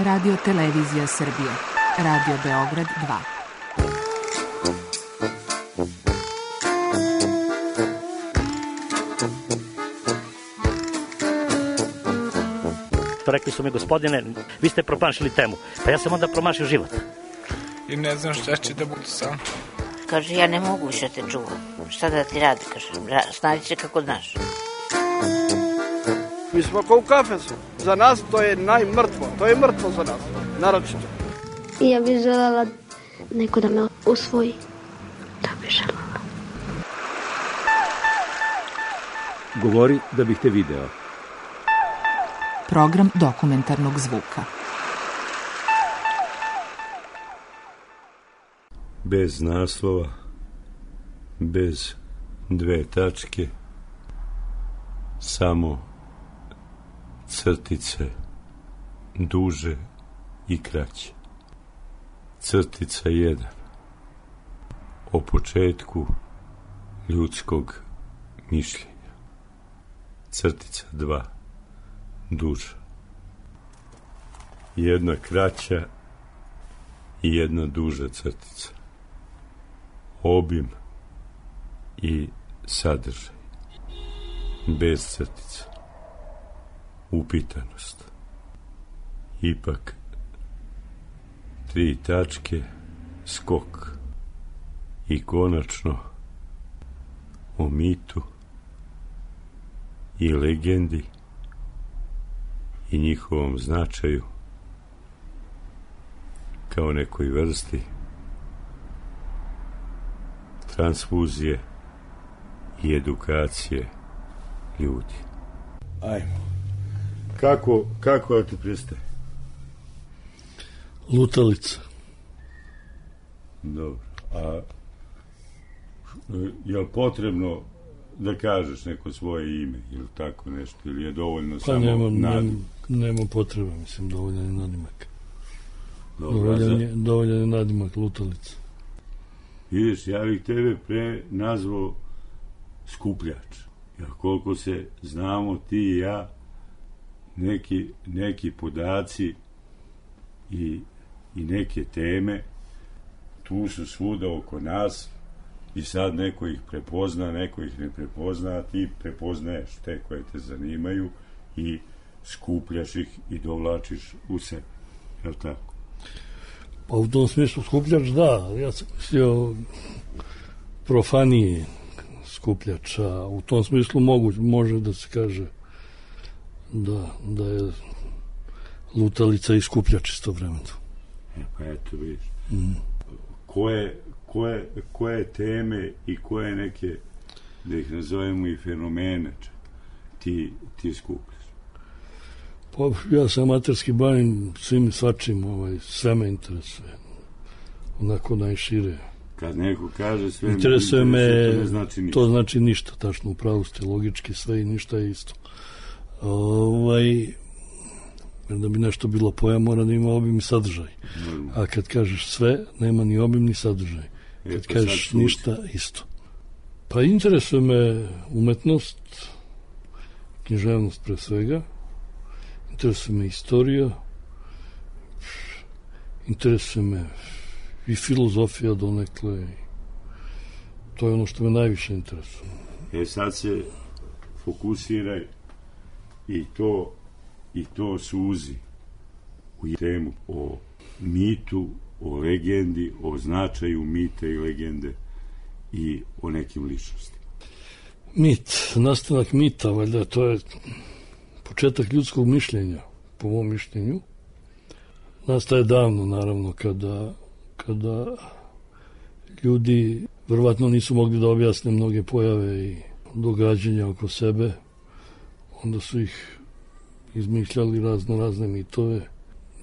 Radio Televizija Srbije, Radio Beograd 2. Rekli su mi, gospodine, vi ste promašili temu. Pa ja sam onda promašio život. I ne znam šta će da bude sam. Kaže, ja ne mogu više te čuvam. Šta da ti radi, kaže, snađi se kako znaš. Mi smo kao u kafesu. Za nas to je najmrtvo. To je mrtvo za nas, naročito. Ja bih želela neko da me usvoji. Da bih želela. Govori da bih te video. Program dokumentarnog zvuka. Bez naslova, bez dve tačke, samo crtice, duže i kraće. Crtica 1. O početku ljudskog mišljenja. Crtica 2. Duža. Jedna kraća i jedna duža crtica. Obim i sadržaj. Bez crtica. Upitanost. Ipak 3 tačke, skok. I konačno o mitu i legendi i njihovom značaju kao nekoj vrsti transfuzije i edukacije ljudi. Ajmo. Kako da ti pristaje? Lutalica. Dobro. A je li potrebno da kažeš neko svoje ime ili tako nešto, ili je dovoljno pa samo nadimak? Nema potreba, mislim, dovoljan je nadimak. Dovoljan je nadimak, Lutalica. Vidiš, ja bih tebe pre nazvao skupljač. Jer koliko se znamo ti i ja, neki podaci i neke teme tu su svuda oko nas i sad neko ih prepozna, neko ih ne prepozna, a ti prepoznaješ te koje te zanimaju i skupljaš ih i dovlačiš u sebe. Je li tako? Pa u tom smislu skupljač, da. Ja sam mislio profanije skupljača. U tom smislu može da se kaže da je lutalica i skupljač istovremeno. Pa eto, vidiš. Koje teme i koje neke, da ih nazovemo i fenomene, ti skupljaš? Pa ja se amaterski bavim svim i svačim, sve me interesuje. Onako najšire. Kad neko kaže sve interesuje me, to ne znači ništa. To znači ništa, tačno, u pravu ste, logički sve i ništa je isto. Da bi nešto bilo pojam, mora da ima obim i sadržaj. A kad kažeš sve, nema ni obim ni sadržaj. Kad kažeš ništa, isto. Pa interesuje me umetnost, književnost pre svega, interesuje me istorija, interesuje me i filozofija donekle. To je ono što me najviše interesuje. Sad se fokusiraj i to suzi u temu o mitu, o legendi, o značaju mita i legende i o nekim ličnostima. Mit, nastanak mita, valjda, to je početak ljudskog mišljenja, po mom mišljenju. Nastaje davno, naravno, kada ljudi verovatno nisu mogli da objasne mnoge pojave i događanja oko sebe, onda su ih izmišljali razne mitove,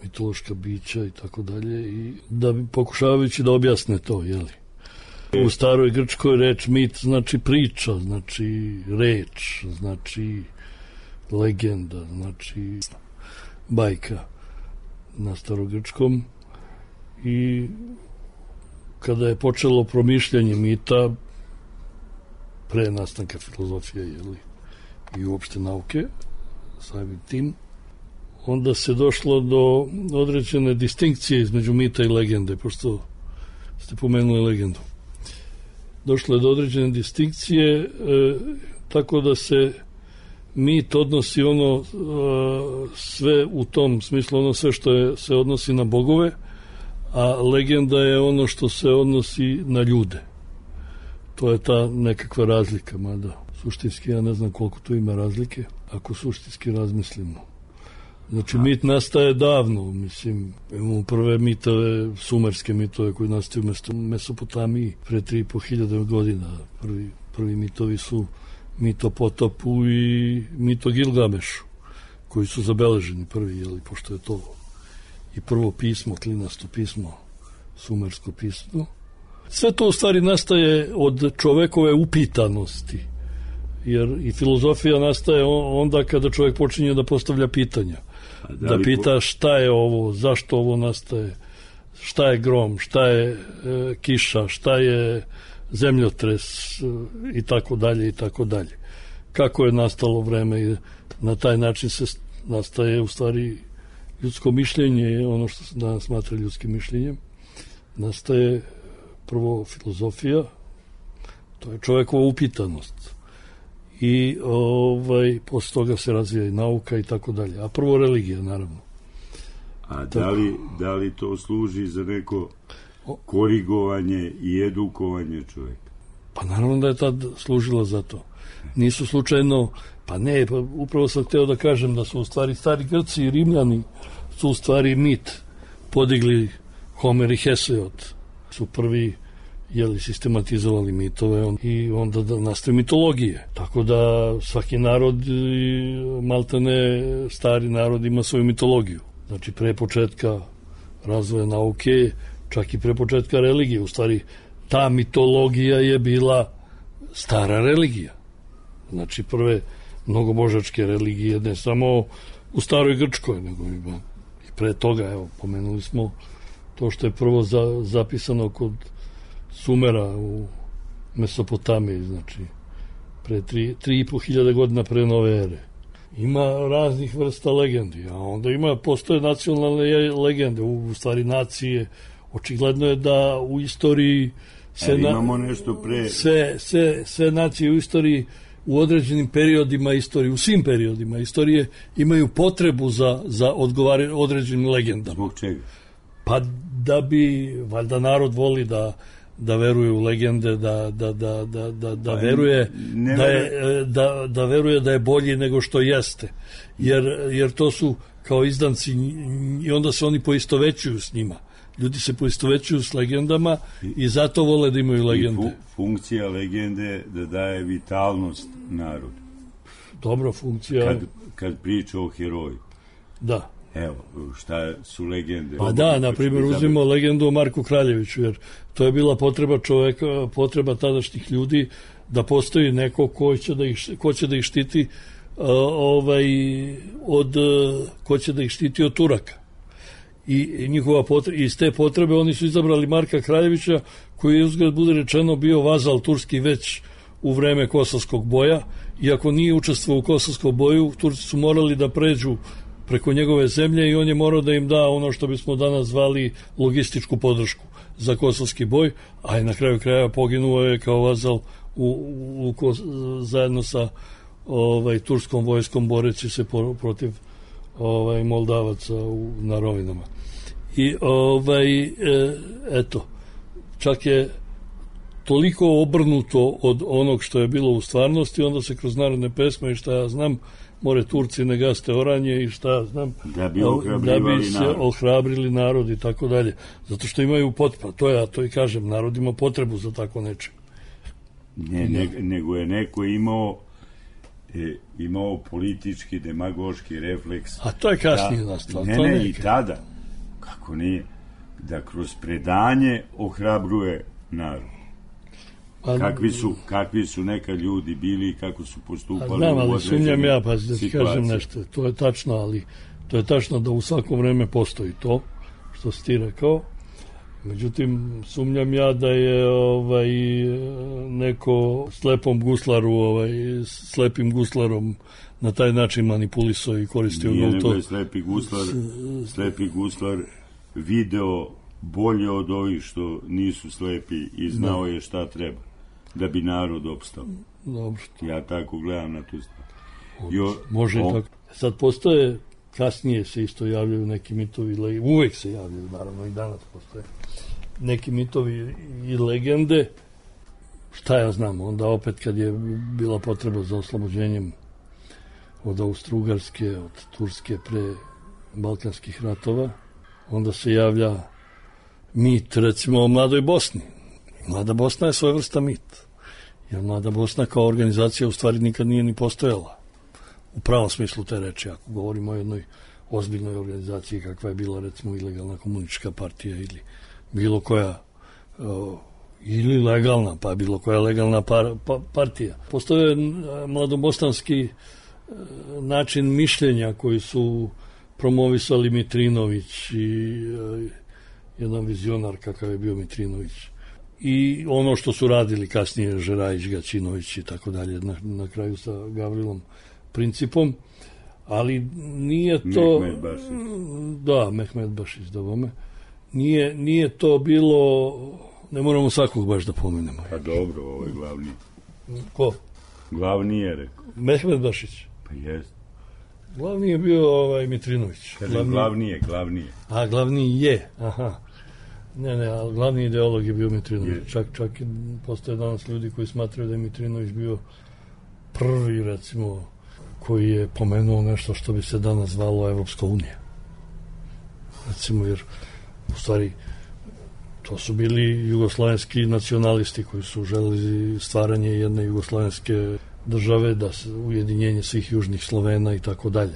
mitološka bića i tako dalje, i da bi pokušavajući da objasne to, jeli. U staroj grčkoj reč mit znači priča, znači reč, znači legenda, znači bajka na starogrčkom. I kada je počelo promišljanje mita pre nastanka filozofije, jeli, i uopšte nauke, samim tim, onda se došlo do određene distinkcije između mita i legende, pošto ste pomenuli legendu. Došlo je do određene distinkcije, tako da se mit odnosi ono sve u tom smislu, ono sve što se odnosi na bogove, a legenda je ono što se odnosi na ljude. To je ta nekakva razlika, mada suštinski ja ne znam koliko tu ima razlike, ako suštinski razmislimo. Znači, mit nastaje davno, mislim, imamo prve mitove, sumerske mitove koji nastaju u Mesopotamiji pre 3.500 godina. Prvi mitovi su mit o potopu i mit o Gilgamešu, koji su zabeleženi prvi, jeli, pošto je to i prvo pismo, klinasto pismo, sumersko pismo. Sve to u stvari nastaje od čovekove upitanosti, jer i filozofija nastaje onda kada čovjek počinje da postavlja pitanja. Da pita šta je ovo, zašto ovo nastaje, šta je grom, šta je kiša, šta je zemljotres i tako dalje i tako dalje. Kako je nastalo vreme i na taj način se nastaje u stvari ljudsko mišljenje, ono što se danas smatra ljudskim mišljenjem. Nastaje prvo filozofija, to je čovjekova upitanost. I posle toga se razvija i nauka i tako dalje. A prvo religija, naravno. A da li to služi za neko korigovanje i edukovanje čovjeka? Pa naravno da je tad služilo za to. Nisu slučajno, upravo sam hteo da kažem da su u stvari stari Grci i Rimljani su u stvari mit podigli. Homer i Hesiod su prvi sistematizovali mitove i onda nastaju mitologije. Tako da svaki narod, maltene stari narod, ima svoju mitologiju. Znači pre početka razvoja nauke, čak i pre početka religije. U stvari ta mitologija je bila stara religija. Znači prve mnogobožačke religije, ne samo u staroj Grčkoj, nego i pre toga, evo, pomenuli smo to što je prvo zapisano kod Sumera u Mesopotamiji, znači pre 3.500 godina pre nove ere. Ima raznih vrsta legendi, a onda postoje nacionalne legende, u stvari nacije. Očigledno je da u istoriji imamo nešto pre... sve nacije u istoriji u određenim periodima istorije, u svim periodima istorije imaju potrebu za određenim legendama. Zbog čega? Pa da bi, valjda narod voli da veruje u legende, da veruje da veruje da je bolji nego što jeste. Jer to su kao izdanci i onda se oni poistovećuju s njima. Ljudi se poistovećuju s legendama i zato vole da imaju legende. I funkcija legende da daje vitalnost narodu. Dobra funkcija. Kad priča o heroju. Da. Evo, šta su legende? Pa da, na primjer, uzmimo legendu o Marku Kraljeviću, jer to je bila potreba čoveka, potreba tadašnjih ljudi da postoji neko ko će da ih štiti ko će da ih štiti od Turaka. I njihova iz te potrebe oni su izabrali Marka Kraljevića, koji je, uzgled bude rečeno, bio vazal turski već u vreme Kosovskog boja. Iako nije učestvovao u Kosovskom boju, Turci su morali da pređu preko njegove zemlje i on je morao da im da ono što bismo danas zvali logističku podršku za kosovski boj, a i na kraju kraja poginuo je kao vazal zajedno sa turskom vojskom boreći se protiv Moldavaca na rovinama. I eto, čak je toliko obrnuto od onog što je bilo u stvarnosti, onda se kroz narodne pesme i šta ja znam, more Turci ne gaste oranje i šta znam, da bi se ohrabrili narod i tako dalje. Zato što imaju potrebu, to i kažem, narod ima potrebu za tako nečem. Nego je neko imao politički, demagoški refleks. A to je kasnije nastalo. Ne, i tada, kako nije, da kroz predanje ohrabruje narod. Kakvi su neka ljudi bili i kako su postupali. Znam, ali sumnjam ja, pa da ti kažem nešto. To je tačno, ali to je tačno da u svako vreme postoji to što si ti rekao. Međutim, sumnjam ja da je neko slepim guslarom na taj način manipulisao i koristio Nije to. nego je slepi guslar video bolje od ovih što nisu slepi i znao je šta treba da bi narod opstao. Dobro. Ja tako gledam na tu stvar. Može i tako. Sad postoje, kasnije se isto javljaju neki mitovi, uvek se javljaju, naravno i danas postoje neki mitovi i legende, šta ja znam, onda opet kad je bila potreba za oslobođenjem od Austro-Ugarske, od Turske pre balkanskih ratova, onda se javlja mit, recimo, o Mladoj Bosni. Mlada Bosna je svojvrsta mit, jer Mlada Bosna kao organizacija u stvari nikad nije ni postojala. U pravom smislu te reči, ako govorimo o jednoj ozbiljnoj organizaciji kakva je bila, recimo, ilegalna komunistička partija ili bilo koja ili legalna, pa bilo koja legalna partija. Postoje mladobosanski način mišljenja koji su promovisali Mitrinović i jedan vizionar kakav je bio Mitrinović. I ono što su radili kasnije Žerajić, Gaćinović i tako dalje, na kraju sa Gavrilom Principom, ali nije to... Mehmed Bašić. Da, Mehmed Bašić, da vome. Nije to bilo... Ne moramo svakog baš da pomenemo. Pa dobro, ovo je glavni. Ko? Glavni je, rekao. Mehmed Bašić. Pa jest. Glavni je bio Mitrinović. Glavni je. A, glavni je, aha. Ne, ali glavni ideolog je bio Mitrinović. Čak postoje danas ljudi koji smatraju da je Mitrinović bio prvi, recimo, koji je pomenuo nešto što bi se danas zvalo Evropska unija. Recimo, jer u stvari to su bili jugoslovenski nacionalisti koji su želeli stvaranje jedne jugoslovenske države, da se ujedinjenje svih južnih Slovena i tako dalje.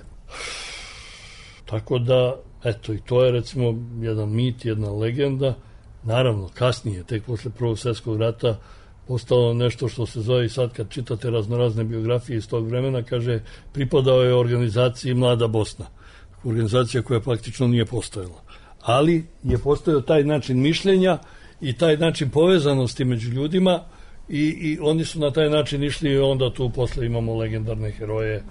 Tako da, eto, i to je recimo jedan mit, jedna legenda. Naravno, kasnije, tek posle Prvog svjetskog rata, postalo nešto što se zove, i sad kad čitate raznorazne biografije iz tog vremena, kaže, pripadao je organizaciji Mlada Bosna. Organizacija koja praktično nije postojala. Ali je postojao taj način mišljenja i taj način povezanosti među ljudima i oni su na taj način išli i onda tu posle imamo legendarne heroje,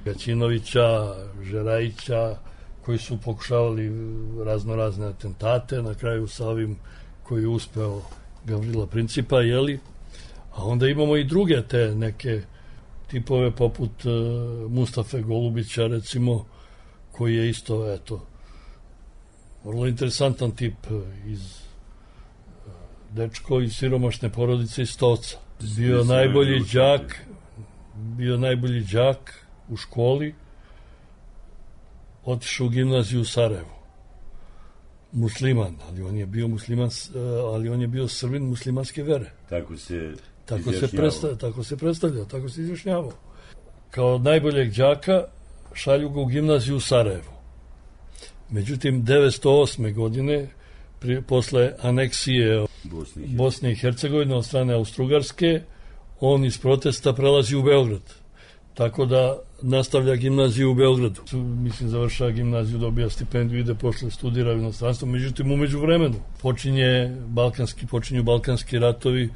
Gaćinovića, Žerajića, koji su pokušavali raznorazne atentate, na kraju sa ovim koji je uspeo Gavrila Principa, a onda imamo i druge te neke tipove poput Mustafe Golubića, recimo, koji je isto, vrlo interesantan tip dečko iz siromašne porodice iz Stoca. Bio najbolji đak u školi, otišao u gimnaziju u Sarajevu. Musliman, ali on je bio musliman, ali on je bio Srbin muslimanske vere. Tako se predstavljao, tako se izjašnjavao. Kao najboljeg đaka šalju ga u gimnaziju u Sarajevu. Međutim, 1908. godine, posle aneksije Bosne i Hercegovine od strane Austro-Ugarske, on iz protesta prelazi u Beograd. Tako da nastavlja gimnaziju u Beogradu. Mislim, završava gimnaziju, dobija stipendiju, ide posle studira u inostranstvu. Međutim, umeđu vremenu počinju balkanski ratovi,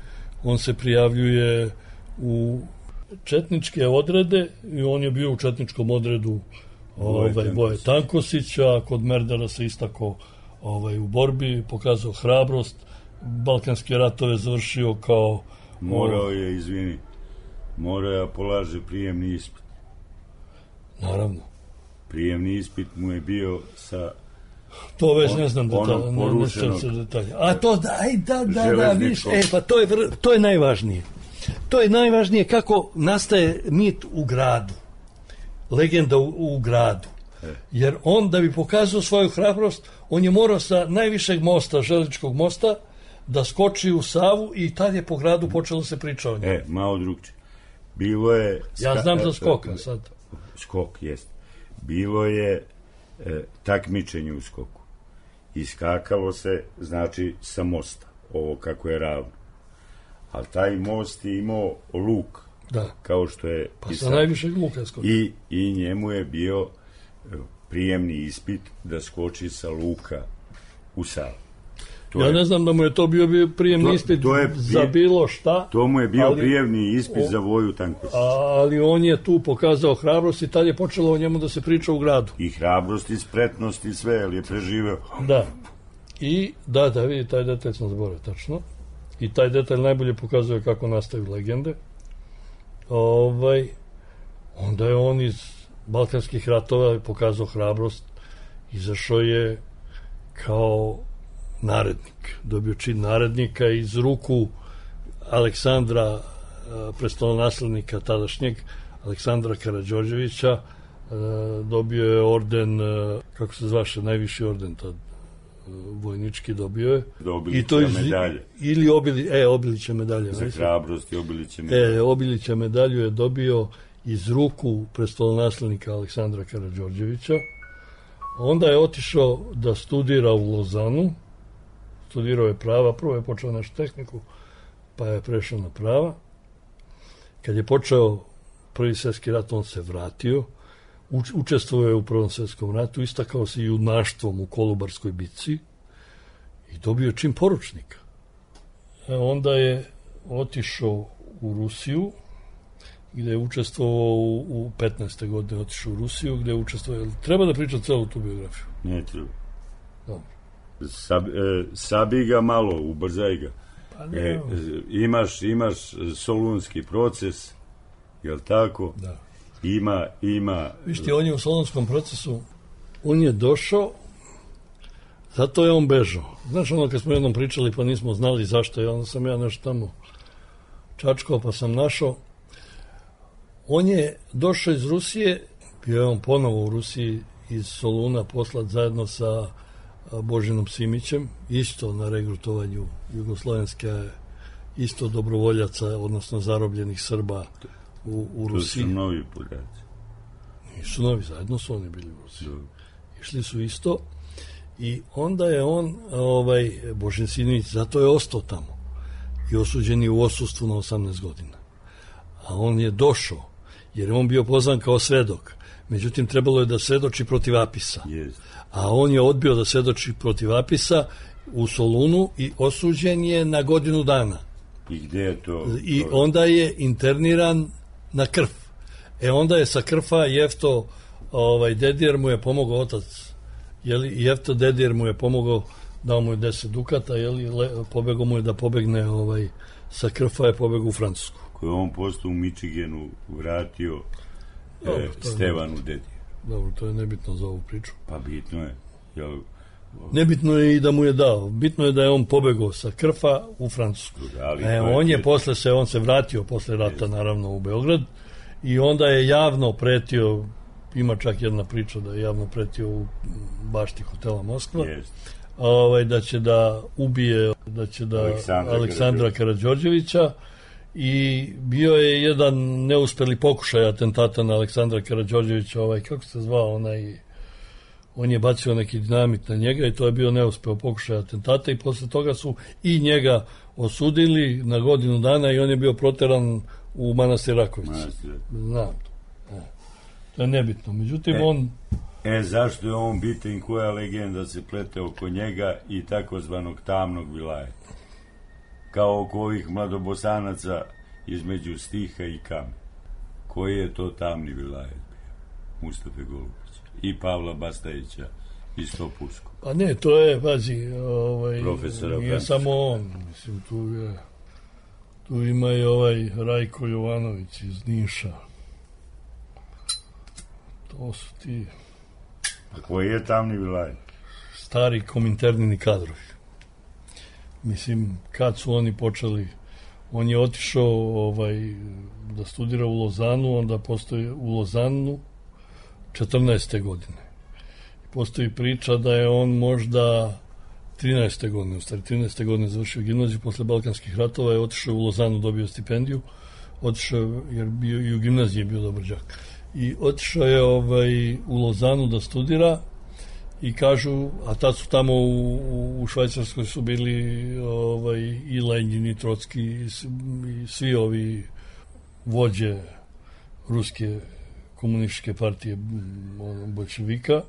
on se prijavljuje u četničke odrede i on je bio u četničkom odredu Boje Tankosića, kod Merdara se istako u borbi, pokazao hrabrost, balkanske ratove završio kao... Morao je polaže prijemni ispit. Naravno. Prijemni ispit mu je bio sa... To već ne znam detalje. A to, da, viš, pa to je najvažnije. To je najvažnije kako nastaje mit u gradu. Legenda u gradu. Jer on, da bi pokazao svoju hrabrost, on je morao sa najvišeg mosta, železničkog mosta, da skoči u Savu i tad je po gradu počelo se priča o njemu. Malo drugčije. Bilo je... Ja znam za skoka sad. Skok, jest. Bilo je takmičenje u skoku. Iskakalo se, znači, sa mosta. Ovo kako je ravno. Ali taj most je imao luk. Da. Kao što je... Pa sa najvišeg luka skoči. I njemu je bio prijemni ispit da skoči sa luka u Savu. Ja ne znam da mu je to bio prijemni ispit za bilo šta. To mu je bio prijemni ispit za Voju Tanković. Ali on je tu pokazao hrabrost i tad je počelo o njemu da se priča u gradu. I hrabrost i spretnost i sve, ali je preživeo. Da. I da vidi, taj detalj sam zaboravio, tačno. I taj detalj najbolje pokazuje kako nastaju legende. Onda je on iz Balkanskih ratova pokazao hrabrost, izašao je kao narednik, dobio čin narednika iz ruku Aleksandra, prestolonaslednika tadašnjeg, Aleksandra Karađorđevića, dobio je orden, kako se zvaše, najviši orden tad, vojnički dobio je. Obilića medalje. Ili Obilića medalje. Za hrabrost i Obilića medalje. Obilića medalju je dobio iz ruku prestolonaslednika Aleksandra Karađorđevića. Onda je otišao da studira u Lozanu. Studirao je prava, prvo je počeo našu tehniku, pa je prešao na prava. Kad je počeo Prvi svjetski rat, on se vratio. Učestvovao je u Prvom svjetskom ratu, istakao se junaštvom u Kolubarskoj bitci i dobio čin poručnika. Onda je otišao u Rusiju, gde je učestvovao u 15. godine, otišao u Rusiju, gde je učestvovao. Treba da pričam celu tu biografiju? Ne treba. Dobro. Sabi ga malo, ubrzaj ga. Imaš solunski proces, jel tako? Da. Ima... Vište, on je u solunskom procesu, on je došao, zato je on bežao. Znaš ono kad smo jednom pričali pa nismo znali zašto je, onda sam ja nešto tamo čačkao pa sam našao. On je došao iz Rusije, bio je on ponovo u Rusiji iz Soluna poslat zajedno sa Božinom Simićem, isto na regrutovanju jugoslovenske, isto dobrovoljaca, odnosno zarobljenih Srba u Rusiji. To su novi podaci. Nisu novi, zajedno su oni bili u Rusiji. Išli su isto i onda je on, Božin Simić, zato je ostao tamo i osuđen je u odsustvu na 18 godina. A on je došao, jer je on bio pozvan kao svedok. Međutim, trebalo je da svedoči protiv Apisa. Yes. A on je odbio da svedoči protiv Apisa u Solunu i osuđen je na godinu dana. I gde je to? I onda je interniran na Krf. Onda je sa Krfa Jefto Dedijer mu je pomogao, otac, Jefto Dedijer mu je pomogao, dao mu je 10 dukata, pobegao mu je da pobegne, sa Krfa je pobegao u Francusku. Koji on postao u Michiganu vratio Stevanu Dedijer. Dobro, to je nebitno za ovu priču. Pa bitno je. Nebitno je i da mu je dao. Bitno je da je on pobegao sa Krfa u Francusku. On se vratio posle rata, naravno, u Beograd i onda je javno pretio, ima čak jedna priča da je javno pretio u bašti hotela Moskva, da će da ubije, Aleksandra Karađorđevića. I bio je jedan neuspeli pokušaj atentata na Aleksandra Karađorđevića, kako se zvao on je bacio neki dinamit na njega i to je bio neuspeo pokušaj atentata i posle toga su i njega osudili na godinu dana i on je bio proteran u manastir Rakovici. Znam to. To je nebitno. Međutim, zašto je on bitan, koja legenda se plete oko njega i takozvanog tamnog vilajeta? Kao oko ovih mladobosanaca između Stiha i Kame. Koji je to tamni vilajet bio? Mustafe Golubića i Pavla Bastajića i Stopuško. Pa ne, to je, pazi, profesora nije samo on, mislim, tu ima i Rajko Jovanović iz Niša. To su ti... A koji je tamni vilajet? Stari kominternini kadrovi. Mislim, kad su oni počeli, on je otišao da studira u Lozanu, onda postoji u Lozanu 14. godine. Postoji priča da je on možda 13. godine, u stvari 13. godine završio gimnaziju, posle Balkanskih ratova je otišao u Lozanu, dobio stipendiju, otišao, jer i u gimnaziji je bio dobar đak. I otišao je u Lozanu da studira i kažu, a tad su tamo u Švajcarskoj su bili i Lenjin i Trotski i svi ovi vođe ruske komunističke partije bolševika,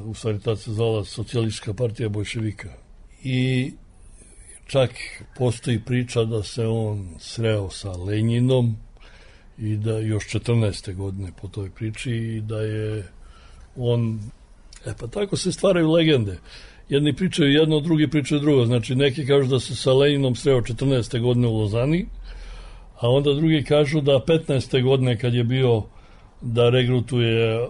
u stvari tad se zvala Socijalistička partija bolševika. i čak postoji priča da se on sreo sa Lenjinom i da još 14. godine po toj priči i da je on... pa tako se stvaraju legende. Jedni pričaju jedno, drugi pričaju drugo. Znači, neki kažu da se sa Lenjinom sreo 14. godine u Lozani, a onda drugi kažu da 15. godine kad je bio da regrutuje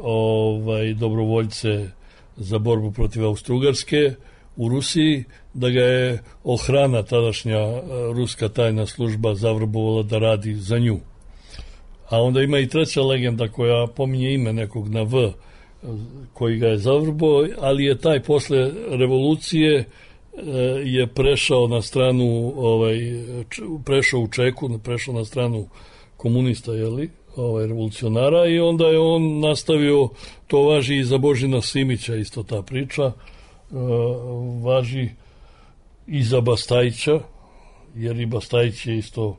dobrovoljce za borbu protiv Austro-Ugarske u Rusiji, da ga je ohrana, tadašnja ruska tajna služba, zavrbovala da radi za nju. A onda ima i treća legenda koja pominje ime nekog na V, koji ga je zavrbo, ali je taj posle revolucije je prešao na stranu, prešao u Čeku, prešao na stranu komunista, revolucionara, i onda je on nastavio, to važi i za Božina Simića, isto ta priča, važi i za Bastajića, jer i Bastajić je isto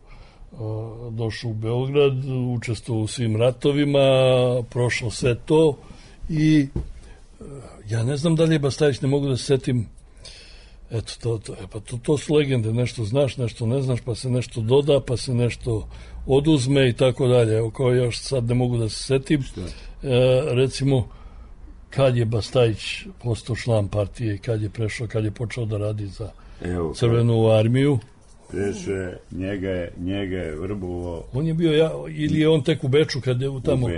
došao u Beograd, učestvovao u svim ratovima, prošao sve to, i ja ne znam da li je Bastajić, ne mogu da se setim. Eto, to su legende, nešto znaš, nešto ne znaš, pa se nešto doda, pa se nešto oduzme i tako dalje. Evo, kao ja sad ne mogu da se setim. Recimo, kad je Bastajić postao član partije i kad je prešao, kad je počeo da radi za Crvenu armiju. Prešao, njega je vrbovao. On je bio, ili je on tek u Beču kad je tamo,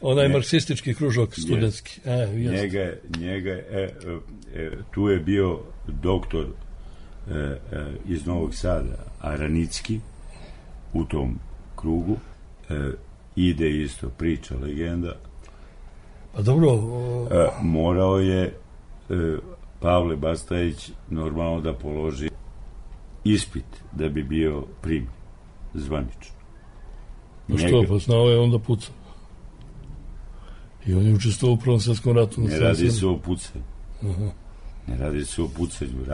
onaj marksistički kružok studentski. Tu je bio doktor iz Novog Sada, Aranicki, u tom krugu. Ide isto priča, legenda. Pa dobro. Morao je Pavle Bastajić normalno da položi ispit da bi bio primljen zvanično. Pa što, pa znao je onda pucao. I on je učestvovao u Prvom svjetskom ratu. Ne radi se o pucanju. Ne radi se o pucanju.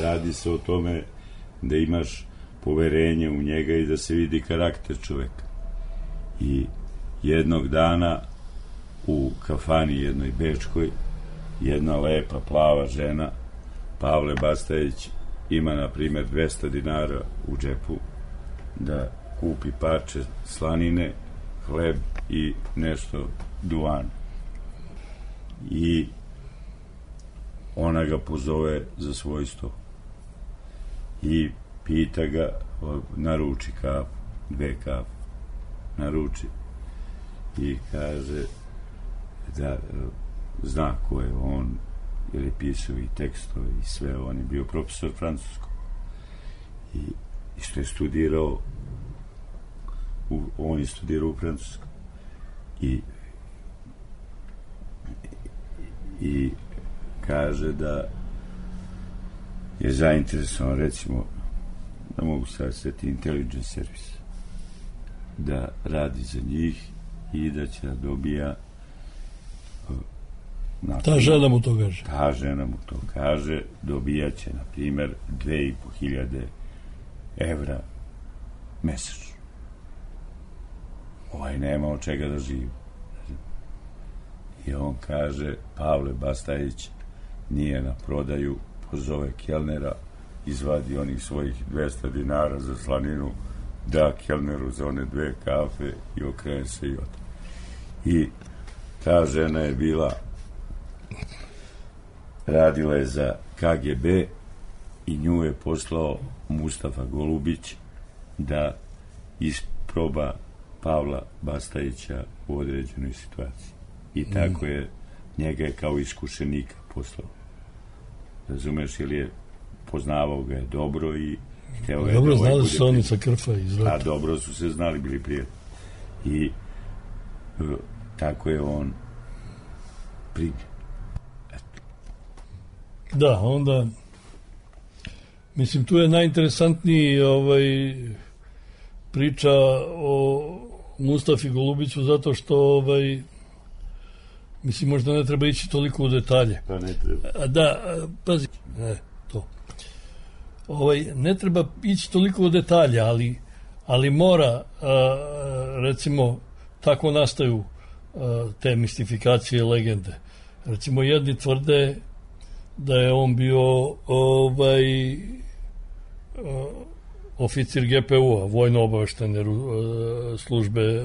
Radi se o tome da imaš poverenje u njega i da se vidi karakter čoveka. I jednog dana u kafani jednoj bečkoj jedna lepa plava žena, Pavle Bastajić, ima na primjer 200 dinara u džepu da kupi parče slanine, hleb i nešto duvana. I ona ga pozove za svoj sto i pita ga, naruči kafu, 2 kafe naruči, i kaže da zna ko je on, jer je pisao i tekstove i sve. On je bio profesor francuskog i što je studirao on je studirao u Francuskom i kaže da je zainteresovan, recimo, da mogu sad sveti intelligence service, da radi za njih i da će da dobija ta žena mu to kaže. Ta žena mu to kaže, dobijaće, na primjer, 2.500 evra mesečno. Nema od čega da živi. I on kaže, Pavle Bastajić nije na prodaju, pozove kelnera, izvadi onih svojih 200 dinara za slaninu, da kelneru za one 2 kafe i okrene se i ode. I ta žena je bila, radila je za KGB i nju je poslao Mustafa Golubić da isproba Pavla Bastajića u određenoj situaciji. I tako je, njega je kao iskušenika poslao. Razumeš, jer je poznavao ga je dobro i hteo ga je dobro, znali su oni sa Krfa iz rata. A dobro su se znali, bili prijatelji. I tako je on primljen. Da, onda mislim, tu je najinteresantniji priča o Mustafi Golubiću, zato što mislim, možda ne treba ići toliko u detalje. Pa ne treba. Da, pazi, to. Ne treba ići toliko u detalje, ali mora, recimo, tako nastaju te mistifikacije, legende. Recimo, jedni tvrde da je on bio oficir GPU-a, vojno-obaveštene službe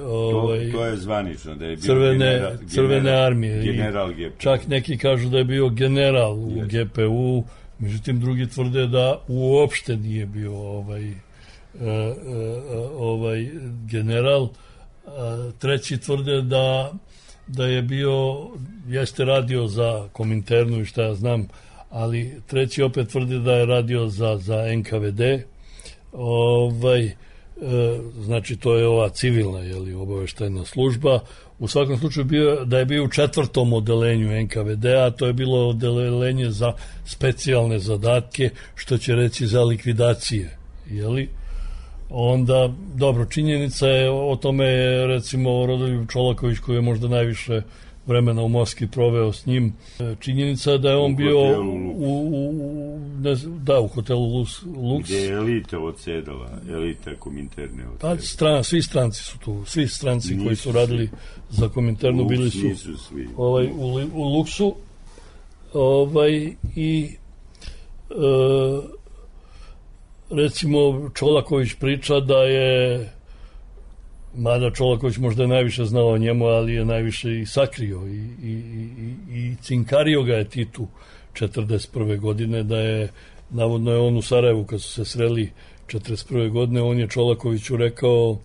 to je zvanično, da je bio crvene armije. General GPU. Čak neki kažu da je bio general u GPU, međutim drugi tvrde da uopšte nije bio general. Treći tvrde da je bio, jeste radio za Kominternu i šta ja znam, ali treći opet tvrdi da je radio za NKVD. Znači to je ova civilna obaveštajna služba. U svakom slučaju da je bio u 4. odelenju NKVD-a, to je bilo odelenje za specijalne zadatke, što će reći za likvidacije, onda, dobro, činjenica je o tome, recimo Rodoljub Čolaković, koji je možda najviše vremena u Moskvi proveo s njim, činjenica je da je on bio u hotelu Lux, gdje je elita odsedala, elita Kominterne odsedala. Svi stranci su tu, svi stranci koji su radili za Kominternu bili su u Luxu, i recimo Čolaković priča da je, mada Čolaković možda je najviše znao o njemu, ali je najviše i sakrio i cinkario ga je Titu 1941. godine, da je, navodno je on u Sarajevu kad su se sreli 1941. godine, on je Čolakoviću rekao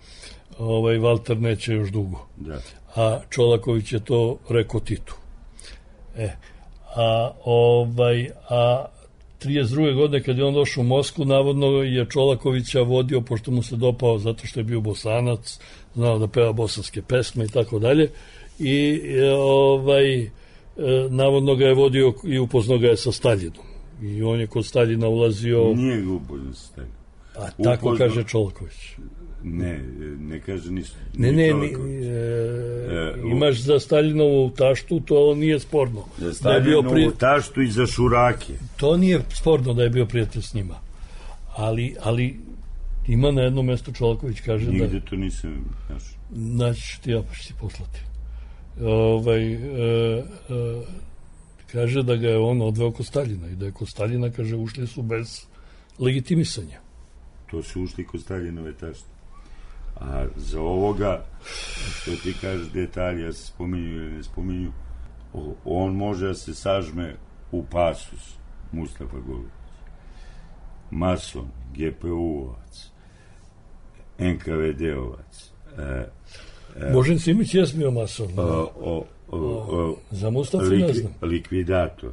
Valter neće još dugo. Da. A Čolaković je to rekao Titu. A 32. godine kad je on došao u Moskvu, navodno je Čolakovića vodio, pošto mu se dopao zato što je bio Bosanac, znao da peva bosanske pesme i tako dalje, i navodno ga je vodio i upoznao ga je sa Staljinom. I on je kod Staljina ulazio... Nije ga upoznao sa Staljinom. A tako kaže Čolaković. Ne kaže ništa. Imaš za Staljinovu taštu, to nije sporno. Za Staljinovu taštu i za šurake. To nije sporno da je bio prijatelj s njima. Ali ima na jednom mjestu Čolaković kaže nigde da... to nisam našao. Znači ti ja pa ću ti poslati. Kaže da ga je on odveo kod Staljina i da je kod Staljina, kaže, ušli su bez legitimisanja. To su ušli kod Staljinove tašte. A za ovoga, što ti kažeš detalja, se spominju ili ne spominju, on može da se sažme u pasus Mustafa Golubić. Mason, GPU-ovac, NKVD-ovac. Božen Simić je bio mason. Za Mustafa ne znam. Likvidator.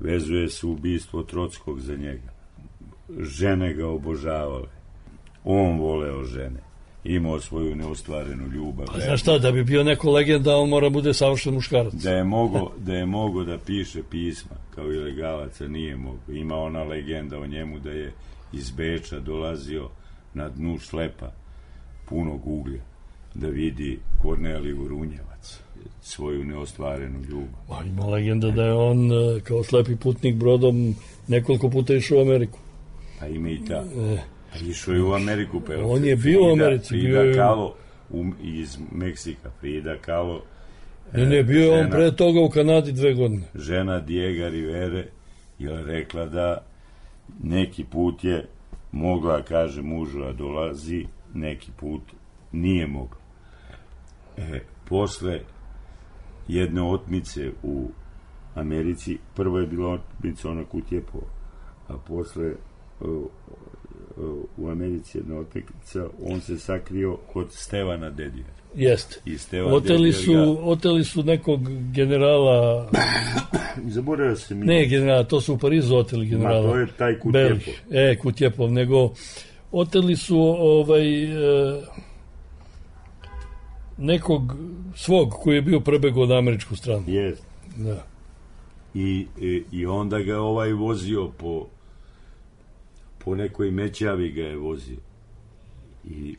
Vezuje se ubistvo Trockog za njega. Žene ga obožavale. On voleo žene. Imao svoju neostvarenu ljubav. A znaš šta, da bi bio neko legenda, on mora bude savršen muškarac. Da je mogo da piše pisma kao ilegalac, a nije mogo. Ima ona legenda o njemu da je iz Beča dolazio na dnu šlepa punog uglja da vidi Korneliju Runjevac, svoju neostvarenu ljubav. Ima legenda da je on kao slepi putnik brodom nekoliko puta išao u Ameriku. Pa ima i ta. Išao je u Ameriku. On je bio u Americi. Frida Kahlo iz Meksika. Frida Kahlo. Ne, bio je on pre toga u Kanadi 2 godine. Žena Diego Rivere je rekla da neki put je mogla, kaže mužu, a dolazi, neki put nije mogla. Posle jedne otmice u Americi, prvo je bila otmica ona Kutjepova, a posle u Americi jedna otmica, on se sakrio kod Stevana Dedija. Jeste. Oteli su nekog generala... Zaboravio se mi. Ne generala, to su u Parizu oteli generala. Ma to je taj Kutjepov. Kutjepov, nego oteli su nekog svog koji je bio prebegao na američku stranu. Jest. Da. I onda ga vozio po nekoj mećavi ga je vozio. I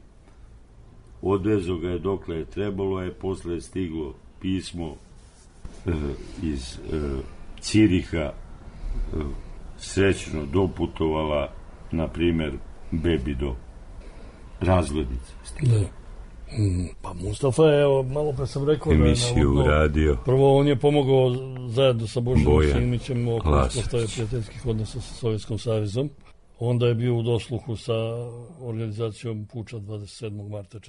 odvezo ga je dokle je trebalo, je posle stiglo pismo iz Ciriha, srećno doputovala, na primer, bebi do Razglednice. Da. Pa Mustafa je, evo, malo pre sam rekao emisiju da je uradio. Prvo on je pomogao zajedno sa Božanom Simićem oko Lasac. uspostavljanja prijateljskih odnosa sa Sovjetskom savezom. Onda je bio u dosluhu sa organizacijom Puča 27. marta